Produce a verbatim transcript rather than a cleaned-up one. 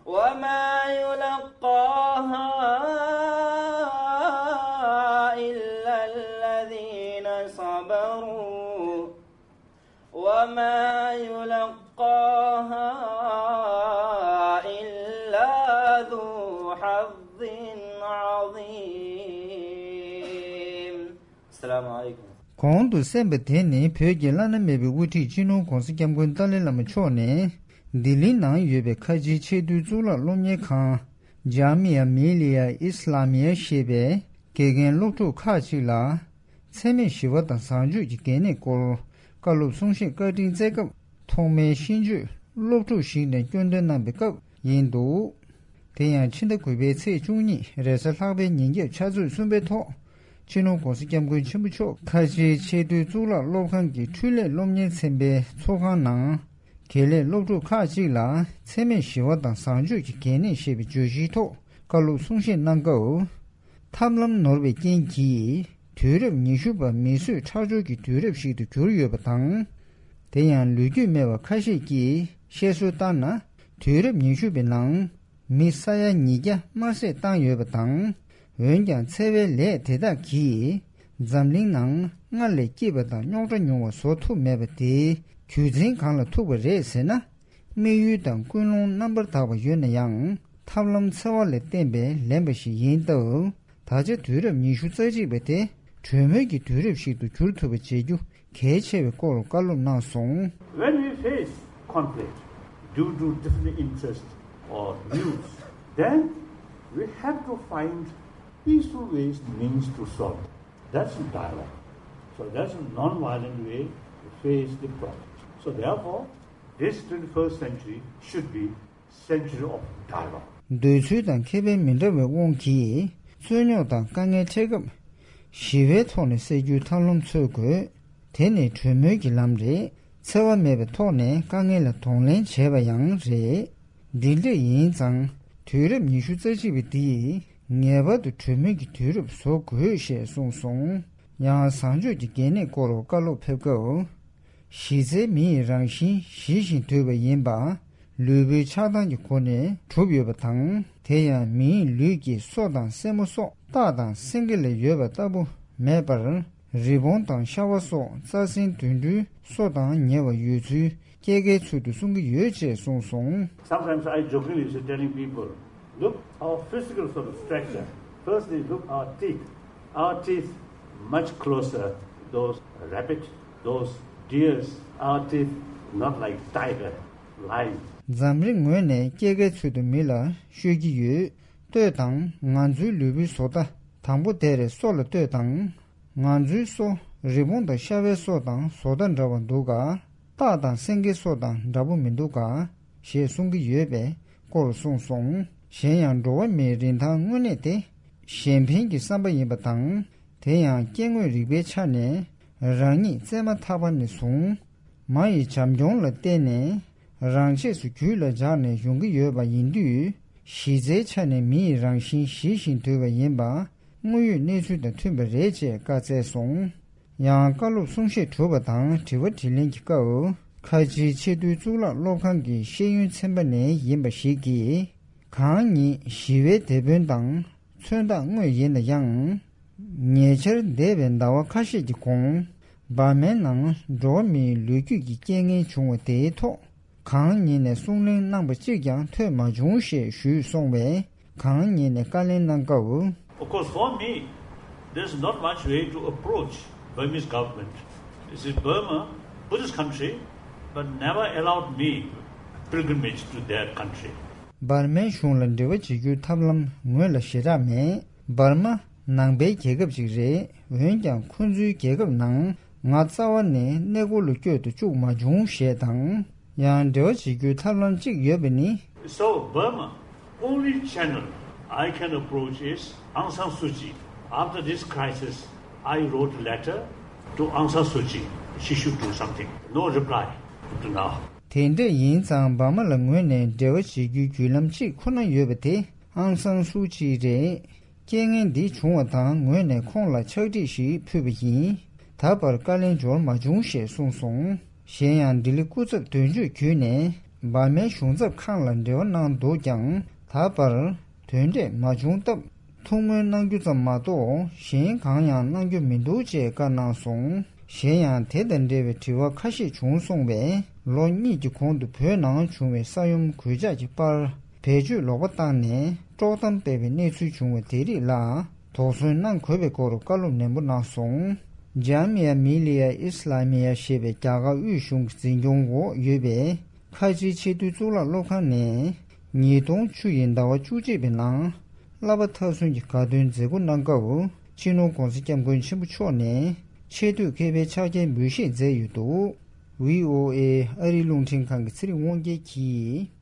وما يلقاها إلا الذين صبروا وما يلقاها إلا ذو حظ عظيم. السلام عليكم. གོང་དུ་གསན་པ་དེ་ནི་བོད་ཀྱི་བླ་ན་མེད་པའི་དབུ་ཁྲིད་སྤྱི་ནོར་༧གོང་ས་༧སྐྱབས་མགོན་ཏཱ་ལའི་བླ་མ་མཆོག་ནས་ལྡི་ལི་ནང་ཡོད་པའི་ཁ་ཆེའི་ཆེས་མཐོའི་གཙུག་ལག་སློབ་གཉེར་ཁང་ཇཱ་མི་ཡ་མི་ལི་ཡ་ཨི་སི་ལ་མི་ཡ་ཞེས་པའི་དགེ་རྒན་སློབ་ཕྲུག་ཁག་ཅིག་ལ། འཚེ་མེད་ཞི་བ་དང་བཟང་སྤྱོད་ཀྱི་གལ་གནད་སྐོར་བཀའ་སློབ་གསུང་བཤད་བཀའ་དྲིན་སྩལ་སྐབས། ཐོག་མའི་ཤེས་འཇོན་སློབ་ཕྲུག་ཞིག་ནས་སྐྱོན་འདོན་གནང་པའི་སྐབས་ཡིན་འདུག་དེ་ཡང་ཕྱི་ཟླ་དགུ་པའི་ཚེས་བཅུ་གཉིས་རེས་གཟའ་ལྷག་པའི་ཉིན་རྒྱབ་ཕྱག་ཚོད་གསུམ་པའི་ཐོག་སྤྱི་ནོར་༧གོང་ས་༧སྐྱབས་མགོན་ཆེན་པོ་མཆོག་ཁ་ཆེའི་ཆེས་མཐོའི་གཙུག་ལག་སློབ་ཁང་གི་འཕྲུལ་ལས་སློབ་གཉེར་ཚན་པའི་ཚོགས་ཁང་ནང་། དགེ་ལས་སློབ་ཕྲུག་ཁག་ཅིག་ལ་འཚེ་མེད་ཞི་བ་དང་བཟང་སྤྱོད་ཀྱི་གལ་གནད་ཞེས་པའི་བརྗོད་གཞིའི་ཐོག་བཀའ་སློབ་གསུང་བཤད་གནང་སྐབས། ཐབས་ལམ་ནོར་བའི་རྐྱེན་གྱིས་དུས་རབས་ཉི་ཤུ་པ་མི་གསོད་ཁྲག་སྦྱོར་གྱི་དུས་རབས་ཤིག་ཏུ་གྱུར་ཡོད་པ་དང་། དེ་ཡང་ལོ་རྒྱུས་སྨྲ་བ་ཁ་ཤས་ཀྱིས་བཤད་སྲོལ་ལྟར་ན། དུས་རབས་ཉི་ཤུ་པའི་ནང་མི་ས་ཡ་ཉིས་བརྒྱ་དམར་བསད་བཏང་ཡོད་པ་དང་། འོན་ཀྱང་འཚེ་བའི་ལས་དེ་དག་གིས་འཛམ་གླིང་ནང་སྔར་ལས་སྐྱིད་པ་དང་རྙོག་དྲ་ཉུང་བ་བཟོ་ཐུབ་མེད་པ་དེའི་རྒྱུ་མཚན་གང་ལ་ཐུག་པ་རེད་ཟེར་ན། དམིགས་ཡུལ་དང་ཀུན་སློང་རྣམ་པར་དག་པ་ཡོད་ན་ཡང་ཐབས་ལམ་འཚེ་བ་ལས་བརྟེན་པའི་ལན་པ་ཞིག་ཡིན་སྟབས། ད་ཆ་དུས་རབས་ཉི་ཤུ་རྩ་གཅིག་པ་དེ་གྲོས་མོལ་གྱི་དུས་རབས་ཤིག་ཏུ་འགྱུར་ཐུབ་པ་བྱེད་རྒྱུ་གལ་ཆེ་བའི་སྐོར་བཀའ་སློབ་གནང་སོང་། When we face conflict due to different interests or views, then we have to find peaceful ways, means to solve. That's dialogue. So that's a non-violent way to face the problem. So therefore, this twenty-first century should be century of dialogue. འདོད་ཚུལ་དང་ཁེ་ཕན་མི་འདྲ་བའི་དབང་གིས་རྩོད་རྙོག་དང་དཀའ་ངལ་འཕྲད་སྐབས། ཞི་བའི་ཐོག་ནས་སེལ་རྒྱུའི་ཐབས་ལམ་འཚོལ་དགོས། དེ་ནི་གྲོས་མོལ་གྱི་ལམ་རེད། འཚེ་བ་མེད་པའི་ཐོག་ནས་དཀའ་ངལ་ལ་གདོང་ལེན་བྱས་པ་ཡང་རེད། འདི་འདྲ་ཡིན་ཙང་དུས་རབས་ཉི་ཤུ་རྩ་གཅིག་པ་འདིས་ངེས་པར་དུ་གྲོས་མོལ་གྱི་དུས་རབས་བཟོ་དགོས་ཞེས་གསུངས་སོང་། ཡང་བཟང་སྤྱོད་ཀྱི་གལ་གནད་སྐོར་བཀའ་སློབ་ཕེབས་སྐབས། གཞི་རྩའི་མི་ཡི་རང་བཞིན་ཞི་ཞིང་དུལ་བ་ཡིན་པ། ལུས་པོའི་ཆགས་སྡང་གི་སྒོ་ནས་གྲུབ་ཡོད་པ་དང་། དེ་ཡང་མིའི་ལུས་ཀྱི་སོ་དང་སེན་མོ་སོགས་སྟག་དང་སེང་གེ་ལ་ཡོད་པ་ལྟ་བུ་མེད་པར། རི་བོང་དང་ཤ་བ་སོགས་རྩྭ་སྲིན་དུད་འགྲོའི་སོ་དང་ཉེ་བར་ཡོད་ཚུལ་སྐྱེ་རྒའི་ཚུལ་དུ་གསུང་གི་ཡོད་ཅེས་གསུངས་སོང་། Sometimes I jokingly say, telling people, look our physical sort of structure. Firstly, look our teeth. Our teeth much closer, those rabbit, those deers, our teeth not like tiger, lion. འཛམ་གླིང་ངོས་ནས་སྐྱེ་རྒའི་ཚུལ་དུ་མི་ལ་ཤོད་ཀྱི་ཡོད། ལྟོས་དང་། ང་ཚོའི་ལུས་པོའི་བཟོ་ལྟ། དང་པོ་དེར་སོ་ལ་ལྟོས་དང་། ང་ཚོའི་སོ་རི་བོང་དང་ཤ་བའི་སོ་དང་བཟོ་ལྟ་འདྲ་བ་འདུག་ག་སྟག་དང་སེང་གེ་སོ་དང་འདྲ་པོ་མི་འདུག་ག་ཞེས་གསུང་གི་ཡོད་པའི་སྐོར་གསུངས་སོང་། གཞན་ཡང་འགྲོ་བ་མིའི་རིན་ཐང་དངོས་གནས་དེ་གཞན་ཕན་གྱི་བསམ་པ་ཡིན་པ་དང་། དེ་ཡང་སྐྱེ་དངོས་རིག་པའི་ཆ་ནས་རང་ཉིད་བཙས་མ་ཐག་པ་ནས་བཟུང་མ་ཡི་བྱམས་སྐྱོང་ལ་བརྟེན་ནས་རང་ཆས་སུ་རྒྱུད་ལ་འཇགས་ནས་ཡོང་གི་ཡོད་པ་ཡིན་དུས། གཞི་རྩའི་ཆ་ནས་མི་ཡི་རང་བཞིན་ཞི་ཞིང་དུལ་བ་ཡིན་པ་དངོས་ཡོད་གནས་ཚུལ་དང་མཐུན་པ་རེད་ཅེས་བཀའ་སྩལ་སོང་། ཡང་བཀའ་སློབ་གསུང་བཤད་གྲུབ་པ་དང་དྲི་བ་དྲིས་ལན་གྱི་སྐབས། ཁ་ཆེའི་ཆེས་མཐོའི་གཙུག་ལག་སློབ་ཁང་གི་ཤེས་ཡོན་ཚན་པ་ནས་ཡིན་པ་ཞིག་གིས། གང་ཉིད་ཞི་བའི་དེད་དཔོན་དང་མཚོན་རྟགས་དངོས་ཡིན་ན་ཡང་། ཉེ་ཆར་འདས་པའི་ཟླ་བ་ཁ་ཤས་ཀྱི་གོང་འབར་མའི་ནང་འགྲོ་བ་མིའི་ལོ་རྒྱུས་ཀྱི་རྐྱེན་ངན་བྱུང་བ་དེའི་ཐོག་གང་ཉིད་ནས་གསུང་གླེང་གནང་པ་གཅིག་ཀྱང་ཐོས་མ་བྱུང་ཞེས་ཞུས་སོང་བས། གང་ཉིད་ནས་བཀའ་ལན་གནང་སྐབས། Of course, for me, there's not much way to approach Burmese government. This is Burma, Buddhist country, but never allowed me pilgrimage to their country. འབར་མའི་གཞུང་ལ་འབྲེལ་བ་བྱེད་རྒྱུའི་ཐབས་ལམ་ངོས་ལ་ཞེ་དྲག་མེད། འབར་མ་ནང་པའི་རྒྱལ་ཁབ་ཅིག་རེད། འོན་ཀྱང་ཁོ་ཚོའི་རྒྱལ་ཁབ་ནང་ང་རྩ་བ་ནས་གནས་སྐོར་ལ་བསྐྱོད་དུ་བཅུག་མ་བྱུང་ཞེས་དང་། ཡང་འབྲེལ་བ་བྱེད་རྒྱུའི་ཐབས་ལམ་གཅིག་ཡོད་པ་ནི། So Burma, only channel I can approach is Aung San Suu Kyi. After this crisis, I wrote a letter to Aung San Suu Kyi. She should do something. No reply to now. དེ་འདྲ་ཡིན་ཙང་འབར་མ་ལ་ངོས་ནས་འབྲེལ་བ་བྱེད་རྒྱུའི་བརྒྱུད་ལམ་གཅིག་ཁོ་ན་ཡོད་པ་དེ་ཨང་སང་སུའུ་ཅི་རེད། རྐྱེན་ངན་འདི་བྱུང་བ་དང་ངོས་ནས་ཁོང་ལ་ཕྱག་བྲིས་ཤིག་ཕུལ་བ་ཡིན། ད་བར་བཀའ་ལན་འབྱོར་མ་བྱུང་ཞེས་གསུངས་སོང་། གཞན་ཡང་ལྡི་ལི་སྐུ་ཚབ་དོན་གཅོད་བརྒྱུད་ནས་ འབར་མའི་གཞུང་ཚབ་ཁང་ལ་འབྲེལ་བ་གནང་འདུག་ཀྱང་། ད་བར་དོན་འབྲས་མ་བྱུང་སྟབས། ཐུགས་སྨོན་གནང་རྒྱུ་ཙམ་མ་གཏོགས་གཞན་གང་ཡང་གནང་རྒྱུ་མི་འདུག་ཅེས་བཀའ་གནང་སོང་། གཞན་ཡང་དེ་དང་འབྲེལ་བའི་དྲི་བ་ཁ་ཤས་བྱུང་སོང་བས། ལོ་གཉིས་ཀྱི་གོང་དུ་བོད་ནང་བྱུང་བའི་ས་ཡོམ་གོད་ཆག་གི་པར་བེད་སྤྱོད་ལོག་པ་བཏང་ནས་དཀྲོག་གཏམ་སྤེལ་བའི་གནས་ཚུལ་བྱུང་བ་དེ་རིགས་ལ་དོགས་ཟོན་གནང་དགོས་པའི་སྐོར་བཀའ་སློབ་ནན་པོ་གནང་སོང་། ཇཱ་མི་ཡ་མི་ལི་ཡ་ཨི་སི་ལ་མི་ཡ་ཞེས་པའི་རྒྱ་གར་དབུས་གཞུང་གི་འཛིན་སྐྱོང་འོག་ཡོད་པའི་ཁ་ཆེའི་ཆེས་མཐོའི་གཙུག་ལག་སློབ་ཁང་ནས། ཉིས་སྟོང་བཅུ་ཡི་ཟླ་བ་བཅུ་གཅིག་པའི་ནང་བསླབ་པ་མཐར་སོན་གྱི་དགའ་སྟོན་མཛད་སྒོ་གནང་སྐབས། སྤྱི་ནོར་༸གོང་ས་༸སྐྱབས་མགོན་ཆེན་པོ་མཆོག་ནས་ཆེས་མཐོའི་མཁས་པའི་ཕྱག་འཁྱེར་འབུལ་བཞེས་མཛད་ཡོད་འདུག། བྷི་ཨོ་ཨེ་ཨ་རིའི་རླུང་འཕྲིན་ཁང་གི་ཚེ་རིང་དབང་རྒྱལ་གྱིས།